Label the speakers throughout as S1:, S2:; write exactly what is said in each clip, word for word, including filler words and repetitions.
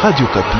S1: Radio Okapi.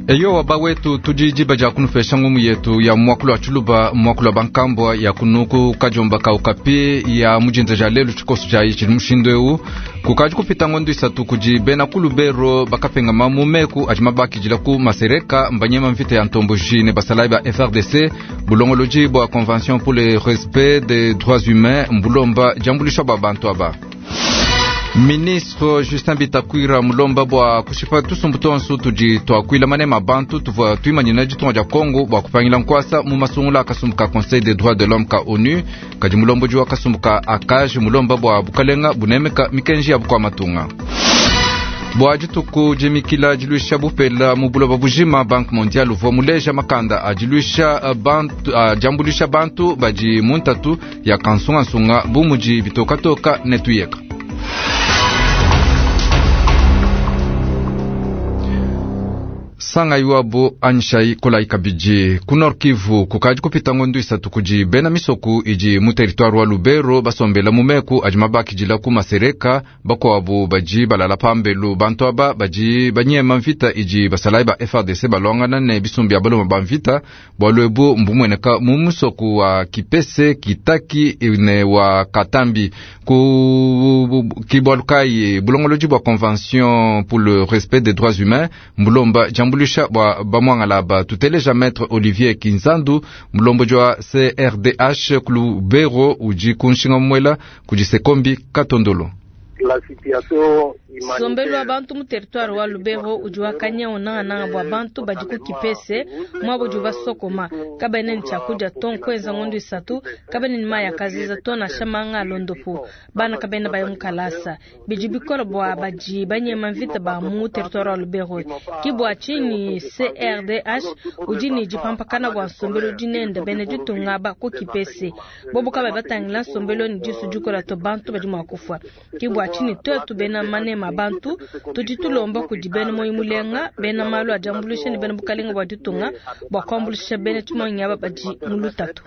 S2: Eyo waba wetu tudi diba dia kunufesha ngumu yetu ya mwakulu wa tshuluba mwakulu wa bankambwa ya kunuku kajomba ka Okapi ya mujinza ja lelu tshikoso tshia tshili mushindu eu kukadi kupita ngondo isatu kudi bena ku Lubero bakapengama mu meku adi mabakidila ku masereka mbanyema mvita ya ntomboji ne basalayi ba F R D C bulongolodi bua Convention pour le respect des droits humains mbulomba diambuluisha bua bantu aba. Ministre Justin Bitakwira mulomba bua kushipa tusumbu tonso tudi tuakuila manema bantu tuvua tuimanyina ditunga dia Congo bua kupangila nkwasa mu masungula akasumbu ka Conseil des droits de l'homme ka ONU kadi mulomboji wa kasumbu ka ACAJ mulomba bua bukalenga bunemeka mikenji ya bukua matunga. Bua dituku dimikila diluisha bupela mu buloba bujima Banque mondiale uvua muleja makanda adiluisha bantu adiambulisha bantu badi mu ntatu ya kansungasunga bu mudi bitokatoka ne tuyeka. Sanga iwabo anshai kolai kabidi ku Nord Kivu kukadi kupita ngondo isatu kudi bena misoku idi mu territoire wa Lubero basombela mu meku adi mabakidila ku masereka bakuabu badi balala pambelu bantu aba badi banyema mvita idi basalayi ba F R D C balwangana ne bisumbi ya baloma ba mvita bualu ebu mbumueneka mu musoku wa Kipese Kitaki ne wa Katambi ku kibwalukai bulongolodi bua Convention pour le respect des droits humains mbulomba jambulisha bwa bamwangala ba tuteleja maître Olivier Kinzandu mulomboji wa C R D H kulubero uji kunshinga mwela kujisekombi Katondolo.
S3: Sombelu wa bantu mu territoire wa Lubero udi wakanya onanga bwa bantu badi ku Kipese mwabo udi basokoma kabene ni chakudia ton kwenza ngondo isatu kabene ni maya kaziza to na shamanga londopo bana kabene bayo mukalasa bidi bikolo bwa baji banyema mvita ba mu territoire wa Lubero kibwa chini C R D H udi ni jipampakana bwa sombelu udi nenda bene ditunga ba ku Kipese bobo kaba batangila sombelu ni disu dikola to bantu badi mwakufa kibwa chini twetu bena manema bantu tudi tulomba kudi bena moyi mulenga bena malu ajambulisha ni bena bukalenga bwa ditunga bwa kwambulisha bena tshimonyi aba badi mu lutatu.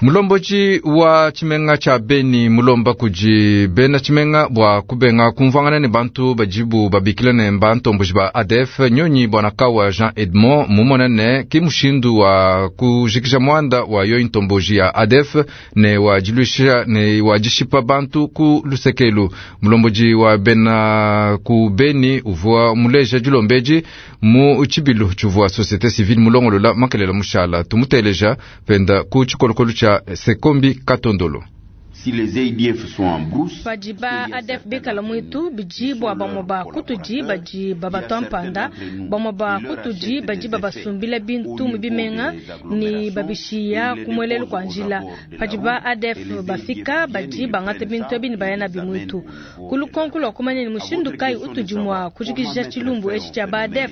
S2: Mulomboji wa tshimenga tsha Beni mulomba kudi bena tshimenga bua kubenga kumvuangana ne bantu bajibu babikila ne bantomboji ba A D F nyonyi bwana kawa Jean Edmond mumona ne ki mushindu wa kujikisha mwanda wa yo ntomboji ya A D F ne wa jilusha ne wa jishipa bantu ku lusekelu. Mulomboji wa bena ku Beni uvua muleja julombeji mu tshibilu tshivua société civile mulongolola makelela mushala tumuteleja penda ku tshikolokolo cha Sekombi Katondolo.
S4: Si les A D F sont en brousse,
S3: badi ba A D F bikala mwitu bidi bwa bamwe ba kutudi badi babatwampanda bamwe ba kutudi badi babasumbila bintu mu bimenga ni babishiya kumwelelu kwa njila padi ba A D F bafika badi bangata bintu ebi ni bayana bimwitu kulukonku lwa kumanya ni mushindu kai utudi mwa kujikisha tshilumbu etshi tshia ba A D F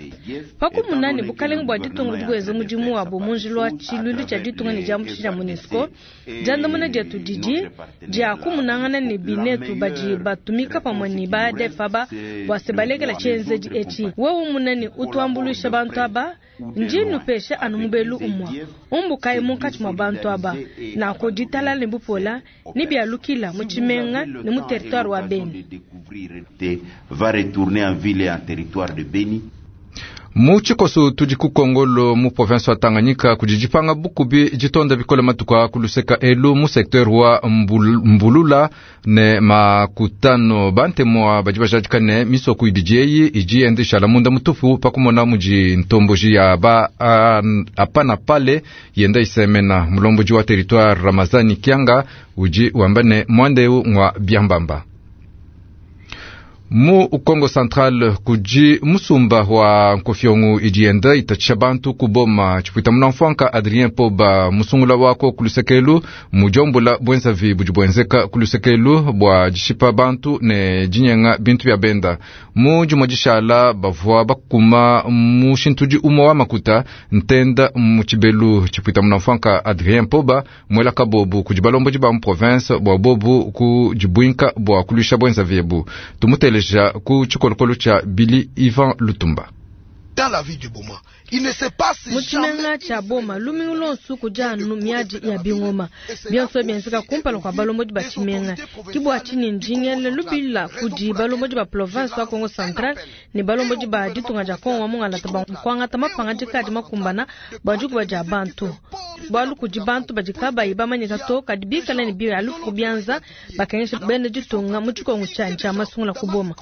S3: pakumunani bukalenga bwa ditunga bweze mudimu wabo munjila wa tshilulu tshia ditunga ni diambu tshia MONUSCO diandamuna dietu didi dia kumunangana ne binetu badi batumika pamwe ni ba A D F aba bua se balekela tshienzedi etshi wewe munani utuambulisha bantu aba ndi nupesha anu mubelu umwa umbukayi munkatshi mua bantu aba nako ditalala ne bupola ni bialukila mu tshimenga ne mu territoire wa Beni.
S4: Va retourner en ville et en territoire de Beni.
S2: Mu tshikoso tudi ku Kongolo mu province wa Tanganyika kudi dipanga bukubi ditonda bikole matuka ku luseka elu mu secteur wa Mbulula ne makutano bantemwa badi bajadika ne misoko ibidi eyi idi yenda munda mutupu pakumona mudi ntomboji ya ba apana pale yenda isemena. Mulomboji wa territoire Ramazani Kianga udi wamba ne mwandeu ngwa biambamba. Mu Kongo Central kudi musumba wa nkofiongo idienda itatsha bantu kuboma tshipwita munamfwanka Adrien Poba musungula wako kulusekelu mujombola bwenzavi budi bwenzeka kulusekelu bwa dishipa bantu ne dinyenga bintu bya benda mu jumwa dishala bavua bakuma mushintudi umwe wa makuta ntenda mu tshibelu tshipwita munamfwanka Adrien Poba mwela kabobu kudi balomboji ba mu province bwa bobu ku dibwinka bwa kulusha bwenzavi ebu tumutele Tumuteleja ku tshikolokolo tshia Billy Ivan Lutumba.
S1: Dans la ville de Boma, il ne se passe
S3: Mu tshimenga tshia Boma lumingu lonsu kudi anu miadi ya bingoma bionso bienzeka kumpala kua balombodi ba tshimenga. Ke bua tshinyi ndingele lubila kudi balombodi ba province wa Kongo Central ne balombodi ba ditunga dia Kongo wa mungalata ba kuangata mapangadika adi makumbana bua dikuba dia bantu. Bualu kudi bantu badi kabayi bamanyika to kadi bikala ne bialufu ku bianza bakengesha bena ditunga mu tshikongu tshianyi tshia masungula ku Boma.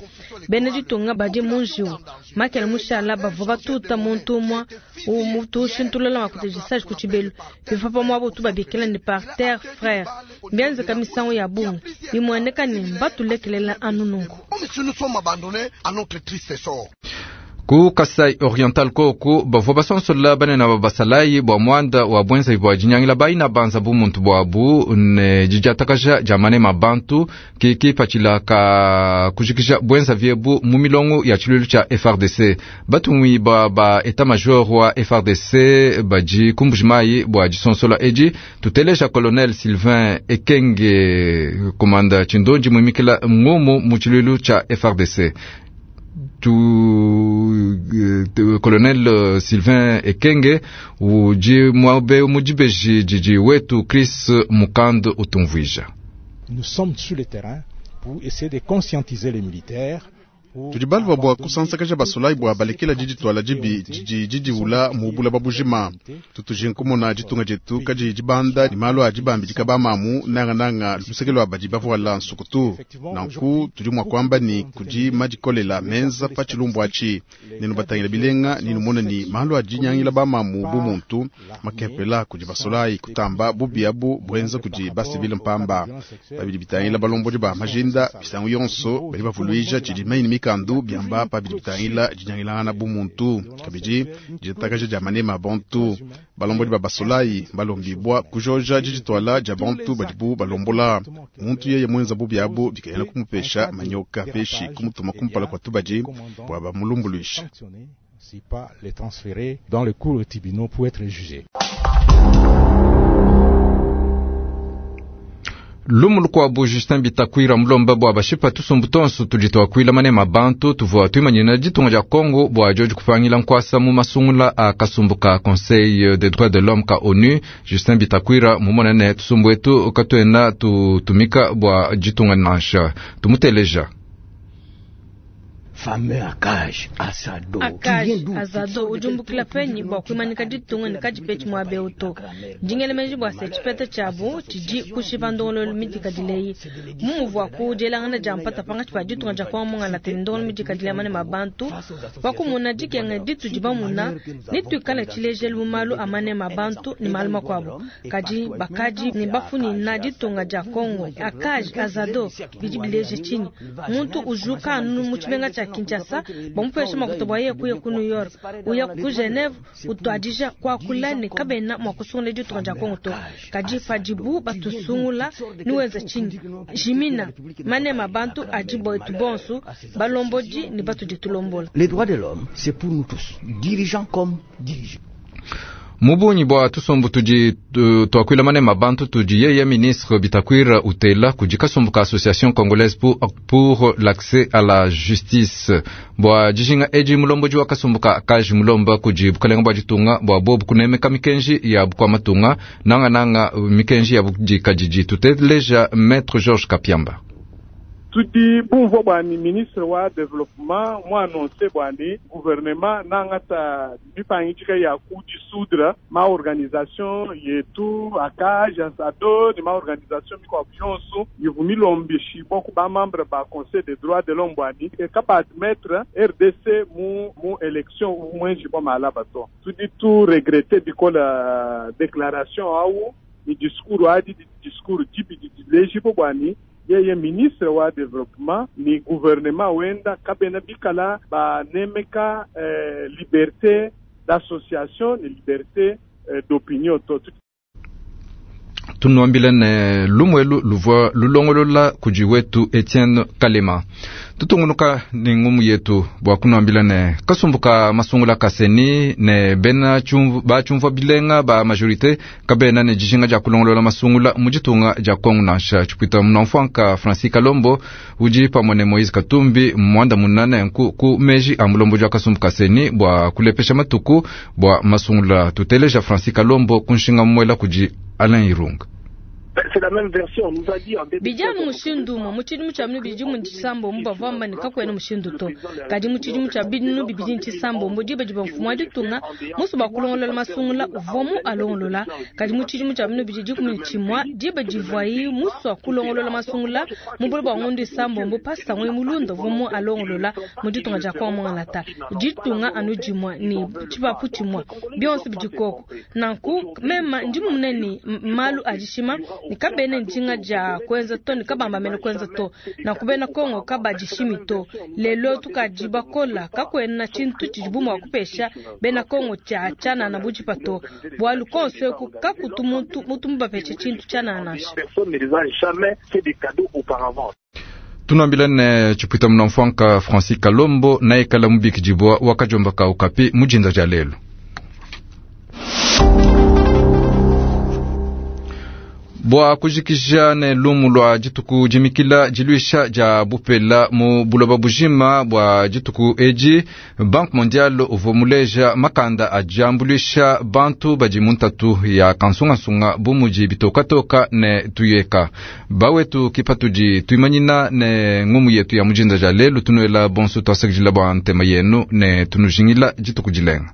S3: Bena ditunga badi mu njiwu makele mushala bavua batuta muntu umue umutushintulula makutejisaji ku tshibelu bivua pamuapa tubabikila ne parterre frère bienzeka misangu ya bungi bimueneka ne mbatulekelela anu nunku.
S1: Comme si nous sommes abandonnés à notre triste sort.
S2: Ku Kasai Oriental koku bavua basonsola banene ba basalayi bua muanda wa bwenzayi bua dinyangila bayina banza bumuntu buabu ne didiatakaja dia manema bantu ke kipatshila ka kujikija bwenzavi ebu mu milongo ya tshiluilu tshia F R D C. Batumwi ba ba état major wa F R D C badi ku Mbujimayi bua disonsola edi. Tuteleja colonel Sylvain Ekenge komanda tshindonji muimikila ngumu mu tshiluilu tshia F R D C. Tu, tu, colonel Sylvain Ekenge udi muabe mudibeji didi wetu Chris Mukand utumvuija.
S5: Nous sommes sur le terrain pour essayer de conscientiser les militaires.
S6: Tudi balwa bua kusansakaja basolayi bua balekela didi twala dibi didi didiwula mu bulaba bujima. Tutujinkumona ditunga dietu kadi dibanda ni malu a dibambidika bamamu nangananga luseke lwa badi bavuala nsukutu. Nanku tudi mua kuamba ni kudi madikolela menza pa tshilumbu atshi. Nenu batangila bilenga ninu mona ni malu a dinyangila bamamu bu muntu makepela kudi basolayi kutamba bubi abu buenza kudi basivile mpamba. Babidi bitangila balombodi ba majinda bisangu yonso badi bavuluija tshidi maini mikandu biamba pa bidi bitangila dinyangilangana bu muntu kabidi ditakaja dia manema bantu. Balombodi ba basolayi balombibwa kujoja diditwala dia bantu badibu balombola. Muntu yeye mwenza bubi abu bikayena kumupesha manyoka peshi kumutuma kumpala kwa tubadi bua bamulumbuluisha.
S5: Si pas les transférer dans le cours de tribunaux pour être jugés.
S2: Lumu lukuabu Justin Bitakwira mulomba bua bashipa tusumbu tonso tudi tuakuila manema bantu tuvua tuimanyina ditunga dia Congo bua dioji kupangila nkuasa mu masungula a kasumbu ka Conseil des droits de l'homme ka ONU. Justin Bitakwira mumona ne tusumbu etu katuena tutumika bua ditunga nansha tumuteleja.
S7: Fameux Akaj Azado.
S3: Akaj Azado ujumbukila penyi bua kuimanika ditunga ne kadipechi muabe uto. Ndingele bua se tshipeta tshiabu tshidi kushipa ndongololo midikadileyi. Mumuvua ku dielangana dia mpata pangatshi pa ditunga dia Kongo mungalata ne ndongolo midikadile manema bantu. Wakumuna dikenga ditu dibamuna ne tuikale tshilejelu mu malu a manema bantu ne malu makuabu. Kadi bakadi ne bafunina ditunga dia Kongo. Akaj Azado bidi bileje tshinyi. Muntu ujuka anu mu tshimenga tshia Kinshasa bamupesha makuta bua yeye kuya ku New York uya ku Geneve utuadija kuakula ne kabena mua kusungula ditunga dia Kongo to. Kadi padibu batusungula niwenza tshinyi jimina manema bantu adi boetu bonso balombodi ne batudi tulombola.
S7: Les droits de l'homme, c'est pour nous tous, dirigeants comme dirigés.
S2: Mubunyi bua tusumbu tudi tuakuila manema bantu tudi yeye ministre Bitakwira utela kudi kasumbu ka Association congolaise pour, pour l'accès à la justice bua dijinga edi mulomboji wa kasumbu ka kaji mulomba kudi bukalenga bua ditunga bua bobu kunemeka mikenji ya bukua matunga nanga nanga mikenji ya budikadidi. Tuteleja Maître Georges Kapiamba.
S8: Tudi bumvua bwani ministre wa développement mu annonce bwani gouvernement nangata mipangidika ya kudissoudre ma organisation yetu ACAJ Azado ni ma organisation mikuabu yonso ivu milombishibwa ku ba membre ba conseil des droits de l'homme bwani kapa admettre R D C mu mu élection mwenji bwa malaba to. Tudi tu regretter bikola déclaration au ni discours adi di discours dibi di lejibo bwani yeye ministre wa développement ni gouvernement wenda kabena bikala ba nemeka eh, liberté d'association ni liberté eh, d'opinion to.
S2: Tunuambila ne lumuelu luvua lulongolola kudi wetu Etienne Kalema. Tutungunuka ne ngumu yetu bua kunuambila ne kasumbu ka masungula kaseni ne bena bachumvua bilenga ba majorité kabena ne dijinga dia kulongolola masungula mu ditunga dia Kongo nansha tshipwita munamfuanka Francis Kalombo udi pamue ne Moise Katumbi mwanda munane nku ku meji a mulombo dia kasumbu kaseni bua kulepesha matuku bua masungula. Tuteleja Francis Kalombo kunshinga mwela kudi Alain Irunga.
S3: Bijanu mushindu umwe mu tshidimu tshia binu bidi mu tshisambombo bavua bamba ne kakuena mushindu to, kadi mu tshidimu tshia binu bibidi tshisambombo diba diba mfumu wa ditunga musu bua kulongolola masungula uvua mu alongolola, kadi mu tshidimu tshia binu bidi dikumi ne tshimua diba divuayi musu wa kulongolola masungula mu bule bua ngondo isambombo pasangwe mulunda uvua mu alongolola mu ditunga dia Kongo Mwangalata ditunga anu dimua ne tshipapu tshimua bionso bidi koko nanku mema ndi munene malu a dishima ni kabene njinga ja kwenza to ni kabamba mene kwenza to na kubena Kongo kabadishimi to lelo tukajiba kola kakwena chintu chijibumu wa kupesha bena Kongo cha chana na bujipa to bwalu konso ku kakutu muntu mutu mbapeshe chintu chana nasha.
S2: Tunambila ne chipwita munamfwanka Francis Kalombo na ekala mubikijibwa wakajomba ka ukapi mujinza ja lelo. Bua kujikija ne lumu lwa dituku jimikila jiluisha ja bupela mu buloba bujima bua dituku edi, Banque Mondiale uvua muleja makanda ajambuluisha bantu badi mu ntatu ya kansungasunga bu mudi bitokatoka ne tuyeka. Bawetu kipatudi tuimanyina ne ngumu yetu ya mujinda ja lelu tunuela bonso twasakidila bua ntema yenu ne tunujingila dituku dilenga.